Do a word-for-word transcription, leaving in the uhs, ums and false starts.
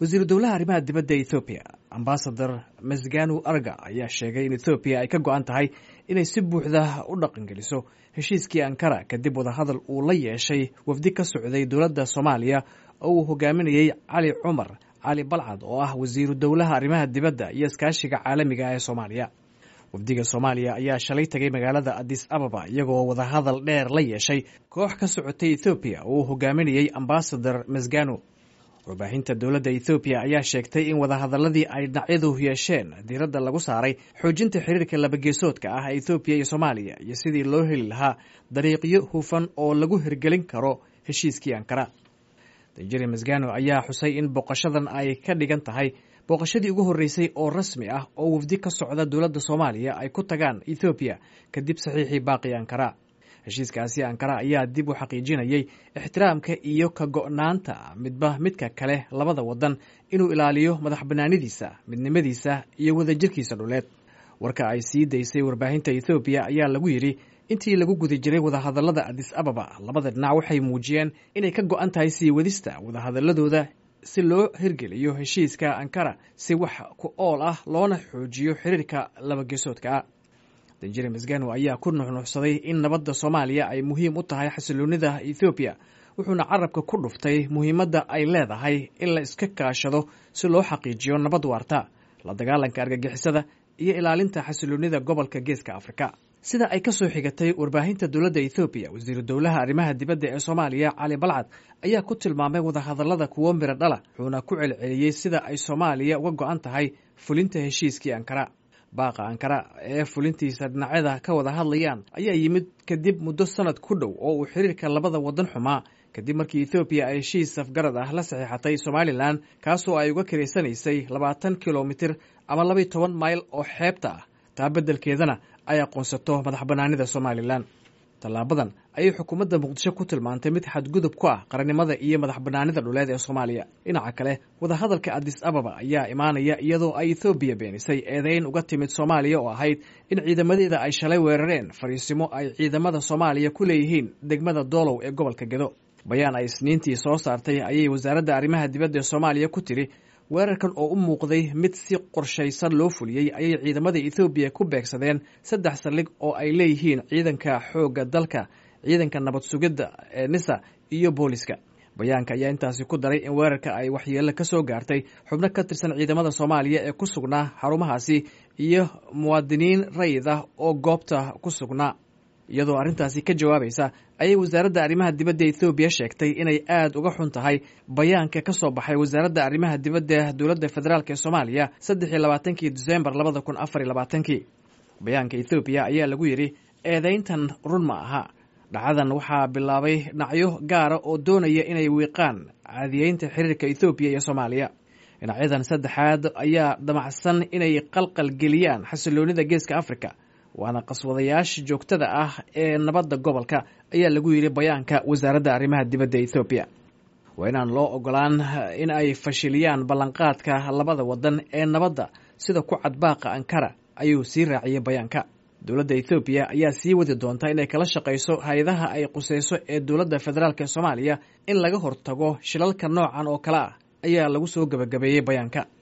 Wasiiru dowlaha arrimaha dibadda Ethoobiya, Ambasador Mesganu Arga, ayaa sheegay in Ethoobiya ay ka go-an tahay inay si buuxda u dhaqangeliso heshiiskii Ankara, kadib wadahadal uu la yeeshay wafdi ka socday dowladda Soomaaliya oo uu hogaaminayey Cali Cumar Cali Balcad, oo ah wasiiru dowlaha arrimaha dibadda iyo iskaashiga caalamiga ah ee Soomaaliya. Wafdiga Soomaaliya ayaa shalay tegay magaalada Addis Ababa, iyagoo wadahadal dheer la yeeshay koox ka socotay Ethoobiya oo uu hogaaminayey Ambasador Mesganu. Warbaahinta dowladda Ethoobiya ayaa sheegtay in wadahadaladii ay dhinacyadu yeesheen diiradda lagu saaray xoojinta xiriirka labageesoodka ah ee Ethoobiya iyo Soomaaliya, iyo sidii loo heli lahaa dariiqyo hufan oo lagu hirgelin karo heshiiskii Ankara. Danjeri Mesgano ayaa xusay in booqashadan ay ka dhigan tahay booqashadii ugu horreysay oo rasmi ah oo wafdi ka socda dowladda Soomaaliya ay ku tagaan Ethoobiya kadib saxiixii baaqi Ankara. Heshiiskaasi Ankara ayaa dib u xaqiijinayay ixtiraamka iyo ka go'naanta midba midka kale labada waddan inuu ilaaliyo madax bannaanidiisa, midnimadiisa iyo wadajirkiisa dhuleed. Warka ay sii daysay warbaahinta Ethoobiya ayaa lagu yidhi: Intii lagu guda jiray wadahadallada Addis Ababa, labada dhinac waxay muujiyeen inay ka go'an tahay sii wadista wadahadaladooda si loo hirgeliyo heshiiska Ankara si wax ku ool ah, loona xoojiyo xiriirka labageesoodka ah. Danjere Mesgano ayaa ku nuxnuxsaday in nabadda Soomaaliya ay muhiim u tahay xasiloonida Ethoobiya, wuxuuna carabka ku dhuftay muhiimadda ay leedahay in la iska kaashado si loo xaqiijiyo nabad waarta, la dagaalanka argagixisada iyo ilaalinta xasiloonida gobolka Geeska Afrika. Sida ay ka soo xigatay warbaahinta dowladda Ethoobiya, wasiiru dowlaha arrimaha dibadda ee Soomaaliya Cali Balcad ayaa ku tilmaamay wadahadallada kuwo miro dhala, wuxuuna ku celceliyey sida ay Soomaaliya uga go'an tahay fulinta heshiiskii Ankara. Baaqa Ankara ee fulintiisa dhinacyada ka wada hadlayaan ayaa yimid kadib muddo sanad ku dhow oo uu xiriirka labada waddan xumaa, kadib markii Ethoobiya ay heshiis safgarad ah la saxiixatay Somalilan, kaasoo ay uga kiraysanaysay labaatan kilomitir ama labaiyo toban mayl oo xeebta ah, taa beddelkeedana ay aqoonsato madax bannaanida Somalilan. Tallaabadan ayay xukuumadda Muqdisho ku tilmaantay mid xadgudub ku ah qarannimada iyo madax bannaanida dhuleed ee Soomaaliya. Dhinaca kale, wadahadalka Addis Ababa ayaa imaanaya iyadoo ay Ethoobiya beenisay eedeyn uga timid Soomaaliya oo ahayd in ciidamadeeda ay shalay weerareen fariisimo ay ciidamada Soomaaliya ku leeyihiin degmada Doolow ee gobolka Gedo. Bayaan ay Isniintii soo saartay ayay wasaaradda arrimaha dibadda ee Soomaaliya ku tiri: Weerarkan oo u muuqday mid si qorshaysan loo fuliyey ayay ciidamada Ethoobiya ku beegsadeen saddex saldhig oo ay leeyihiin ciidanka xoogga dalka, ciidanka nabad sugidda ee NISA iyo booliska. Bayaanka ayaa intaasi ku daray in weerarka ay waxyeelo ka soo gaartay xubno ka tirsan ciidamada Soomaaliya ee ku sugnaa xarumahaasi iyo muwaadiniin rayid ah oo goobta ku sugnaa. Iyadoo arrintaasi ka jawaabaysa ayay wasaaradda arrimaha dibadda Ethoobiya sheegtay inay aad uga xun tahay bayaanka ka soo baxay wasaaradda arrimaha dibadda dowladda federaalk ee Soomaaliya saddex iyo labaatankii Disembar labada kun afar iyo labaatankii. Bayaanka Ethoobiya ayaa lagu yidhi: Eedayntan run ma aha. Dhacadan waxaa bilaabay dhinacyo gaara oo doonaya inay wiiqaan caadiyeynta xiriirka Ethoobiya iyo Soomaaliya. Dhinacyadan saddexaad ayaa damacsan inay qalqal geliyaan xasiloonida Geeska Africa, waana qaswadayaasha joogtada ah ee nabadda gobolka, ayaa lagu yidhi bayaanka wasaaradda arrimaha dibadda Ethoobiya. Waa inaan loo ogolaan in ay fashiliyaan ballanqaadka labada waddan ee nabadda sida ku cad baaqa Ankara, ayuu sii raaciyey bayaanka. Dowladda Ethoobiya ayaa sii wadi doonta inay kala shaqayso hay-adaha ay quseyso ee dowladda federaalk ee Soomaaliya in laga hortago shilalka noocan oo kale ah, ayaa lagu soo gebagabeeyey bayaanka.